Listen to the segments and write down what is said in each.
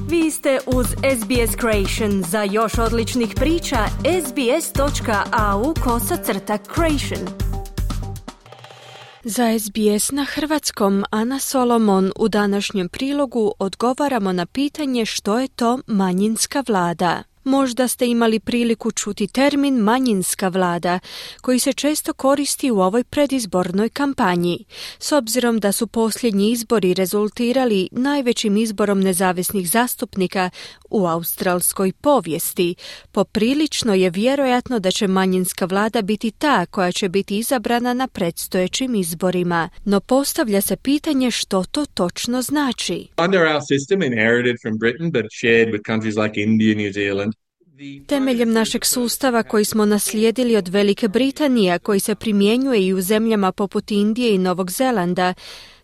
Vi ste uz SBS Creation. Za još odličnih priča, sbs.au/creation. Za SBS na hrvatskom Ana Solomon u današnjem prilogu odgovaramo na pitanje što je to manjinska vlada. Možda ste imali priliku čuti termin manjinska vlada, koji se često koristi u ovoj predizbornoj kampanji. S obzirom da su posljednji izbori rezultirali najvećim izborom nezavisnih zastupnika u australskoj povijesti, poprilično je vjerojatno da će manjinska vlada biti ta koja će biti izabrana na predstojećim izborima. No postavlja se pitanje što to točno znači. Under our system, inherited from Britain but shared with countries like India, New Zealand, temeljem našeg sustava koji smo naslijedili od Velike Britanije, koji se primjenjuje i u zemljama poput Indije i Novog Zelanda,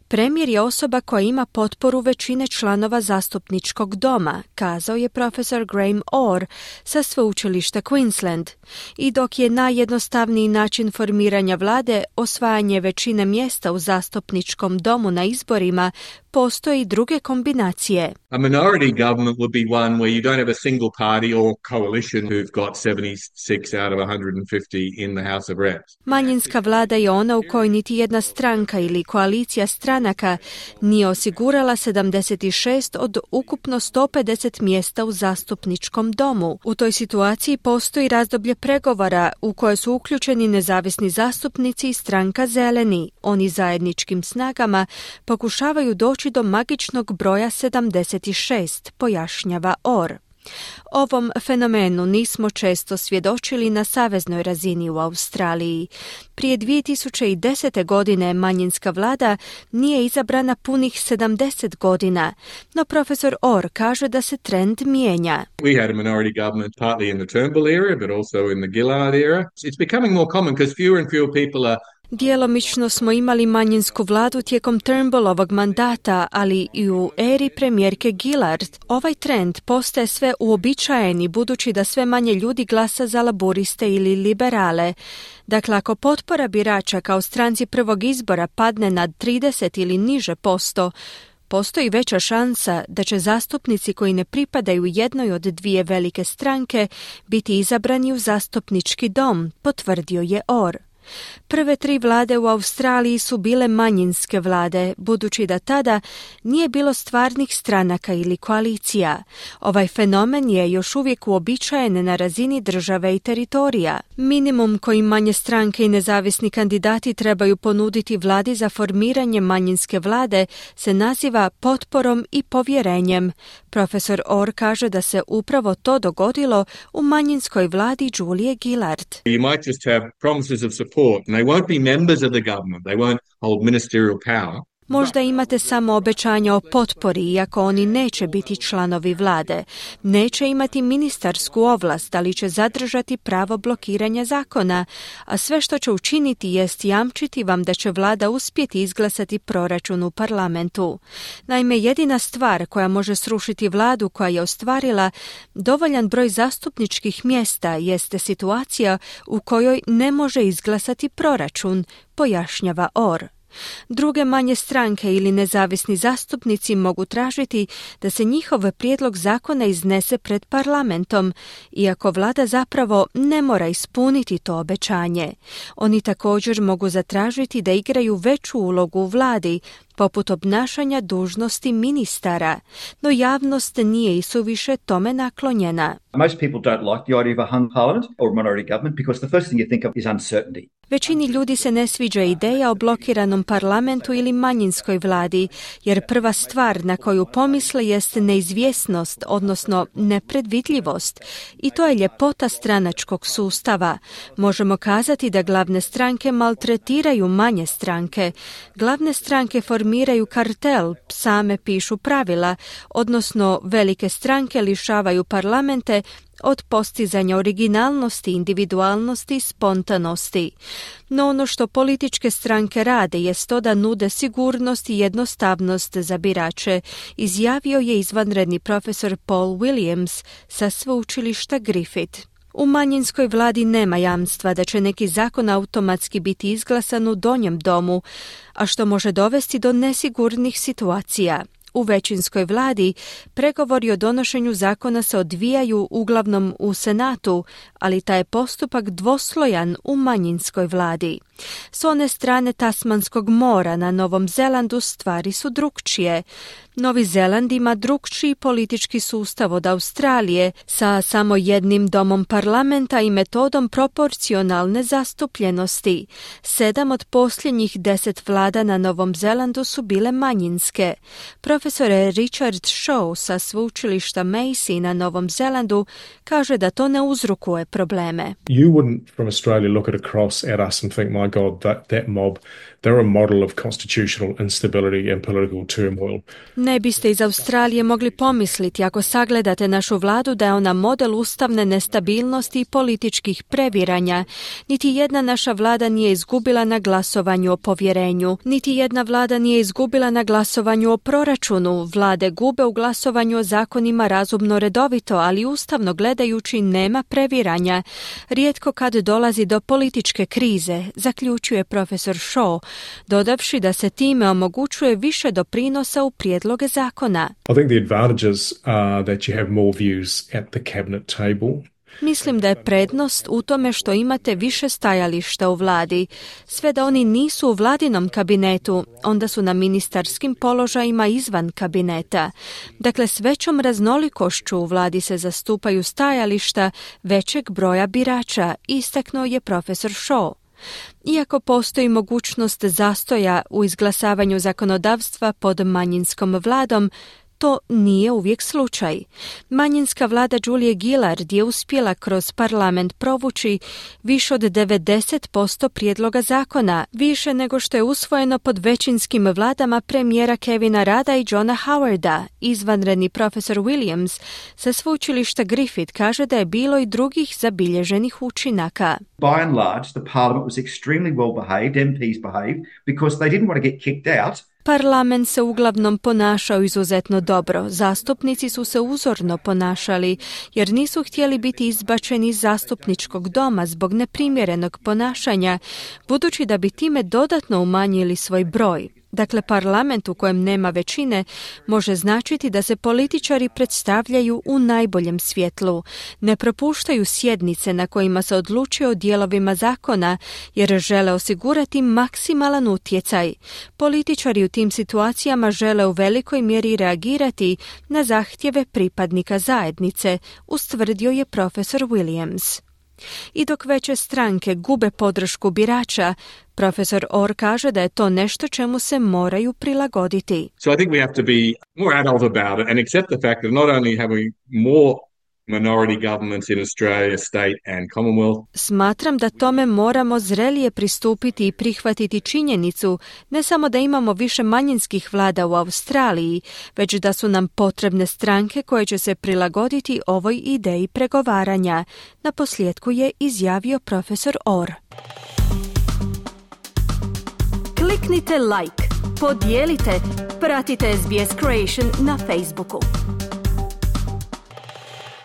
premijer je osoba koja ima potporu većine članova zastupničkog doma, kazao je profesor Graham Orr sa sveučilišta Queensland. I dok je najjednostavniji način formiranja vlade osvajanje većine mjesta u zastupničkom domu na izborima, postoje i druge kombinacije. a minority government would be one where you don't have a single party or coalition who've got 76 out of 150 in the House of Reps. Manjinska vlada je ona u kojoj niti jedna stranka ili koalicija stranaka nije osigurala 76 od ukupno 150 mjesta u zastupničkom domu. U toj situaciji postoji razdoblje pregovora u koje su uključeni nezavisni zastupnici i stranka Zeleni. Oni zajedničkim snagama pokušavaju doći do magičnog broja 76, pojašnjava Orr. Ovom fenomenu nismo često svjedočili na saveznoj razini u Australiji. Prije 2010. godine manjinska vlada nije izabrana punih 70 godina, no profesor Orr kaže da se trend mijenja. We had a minority government partly in the Turnbull era, but also in the Gillard era. It's becoming more common because fewer and fewer people are. Djelomično smo imali manjinsku vladu tijekom Turnbullovog mandata, ali i u eri premijerke Gillard. Ovaj trend postaje sve uobičajeni budući da sve manje ljudi glasa za laburiste ili liberale. Dakle, ako potpora birača kao stranci prvog izbora padne na 30 ili niže posto, postoji veća šansa da će zastupnici koji ne pripadaju jednoj od dvije velike stranke biti izabrani u zastupnički dom, potvrdio je Orr. Prve 3 vlade u Australiji su bile manjinske vlade, budući da tada nije bilo stvarnih stranaka ili koalicija. Ovaj fenomen je još uvijek uobičajen na razini države i teritorija. Minimum koji manje stranke i nezavisni kandidati trebaju ponuditi vladi za formiranje manjinske vlade se naziva potporom i povjerenjem. Profesor Orr kaže da se upravo to dogodilo u manjinskoj vladi Julie Gillard. You might just have promises of support and they won't be members of the government. They won't hold ministerial power. Možda imate samo obećanja o potpori, iako oni neće biti članovi vlade. Neće imati ministarsku ovlast, ali će zadržati pravo blokiranja zakona, a sve što će učiniti jest jamčiti vam da će vlada uspjeti izglasati proračun u parlamentu. Naime, jedina stvar koja može srušiti vladu koja je ostvarila dovoljan broj zastupničkih mjesta jeste situacija u kojoj ne može izglasati proračun, pojašnjava Orr. Druge manje stranke ili nezavisni zastupnici mogu tražiti da se njihov prijedlog zakona iznese pred parlamentom, iako vlada zapravo ne mora ispuniti to obećanje. Oni također mogu zatražiti da igraju veću ulogu u vladi, poput obnašanja dužnosti ministara, no javnost nije i suviše tome naklonjena. Most people don't like the idea of a hung parliament or a minority government because the first thing you think of is uncertainty. Većini ljudi se ne sviđa ideja o blokiranom parlamentu ili manjinskoj vladi, jer prva stvar na koju pomisle jest neizvjesnost, odnosno nepredvidljivost. I to je ljepota stranačkog sustava. Možemo kazati da glavne stranke maltretiraju manje stranke. Glavne stranke formiraju kartel, same pišu pravila, odnosno velike stranke lišavaju parlamente od postizanja originalnosti, individualnosti i spontanosti. No ono što političke stranke rade jest to da nude sigurnost i jednostavnost za birače, izjavio je izvanredni profesor Paul Williams sa sveučilišta Griffith. U manjinskoj vladi nema jamstva da će neki zakon automatski biti izglasan u donjem domu, a što može dovesti do nesigurnih situacija. U većinskoj vladi pregovori o donošenju zakona se odvijaju uglavnom u Senatu, ali taj je postupak dvoslojan u manjinskoj vladi. S one strane Tasmanskog mora na Novom Zelandu stvari su drukčije. Novi Zeland ima drukčiji politički sustav od Australije sa samo jednim domom parlamenta i metodom proporcionalne zastupljenosti. 7 od posljednjih 10 vlada na Novom Zelandu su bile manjinske. Profesor Richard Shaw sa sveučilišta Massey na Novom Zelandu kaže da to ne uzrokuje probleme. You wouldn't from Australia look across at us and think, my God, that mob, they're a model of constitutional instability and political turmoil. Ne biste iz Australije mogli pomisliti ako sagledate našu vladu da je ona model ustavne nestabilnosti i političkih previranja. Niti jedna naša vlada nije izgubila na glasovanju o povjerenju. Niti jedna vlada nije izgubila na glasovanju o proračunu. Vlade gube u glasovanju o zakonima razumno redovito, ali ustavno gledajući nema previranja. Rijetko kad dolazi do političke krize, zaključuje profesor Shaw, dodavši da se time omogućuje više doprinosa u prijedloge zakona. I think the advantages are that you have more views at the cabinet table. Mislim da je prednost u tome što imate više stajališta u vladi. Sve da oni nisu u vladinom kabinetu, onda su na ministarskim položajima izvan kabineta. Dakle, s većom raznolikošću u vladi se zastupaju stajališta većeg broja birača, istaknuo je profesor Shaw. Iako postoji mogućnost zastoja u izglasavanju zakonodavstva pod manjinskom vladom, to nije uvijek slučaj. Manjinska vlada Julie Gillard je uspjela kroz parlament provući više od 90% prijedloga zakona, više nego što je usvojeno pod većinskim vladama premijera Kevina Rudda i Johna Howarda. Izvanredni profesor Williams sa sveučilišta Griffith kaže da je bilo i drugih zabilježenih učinaka. By and large, the parliament was extremely well behaved, MPs behaved, because they didn't want to get kicked out. Parlament se uglavnom ponašao izuzetno dobro. Zastupnici su se uzorno ponašali jer nisu htjeli biti izbačeni iz zastupničkog doma zbog neprimjerenog ponašanja, budući da bi time dodatno umanjili svoj broj. Dakle, parlament u kojem nema većine može značiti da se političari predstavljaju u najboljem svjetlu. Ne propuštaju sjednice na kojima se odlučuje o dijelovima zakona jer žele osigurati maksimalan utjecaj. Političari u tim situacijama žele u velikoj mjeri reagirati na zahtjeve pripadnika zajednice, ustvrdio je profesor Williams. I dok veće stranke gube podršku birača, profesor Orr kaže da je to nešto čemu se moraju prilagoditi. So I think we have to be more adult about it and accept the fact that not only have we more minority governments in Australia, state and Commonwealth. Smatram da tome moramo zrelije pristupiti i prihvatiti činjenicu ne samo da imamo više manjinskih vlada u Australiji, već da su nam potrebne stranke koje će se prilagoditi ovoj ideji pregovaranja. Naposljetku je izjavio profesor Orr. Kliknite like, podijelite, pratite SBS Creation na Facebooku.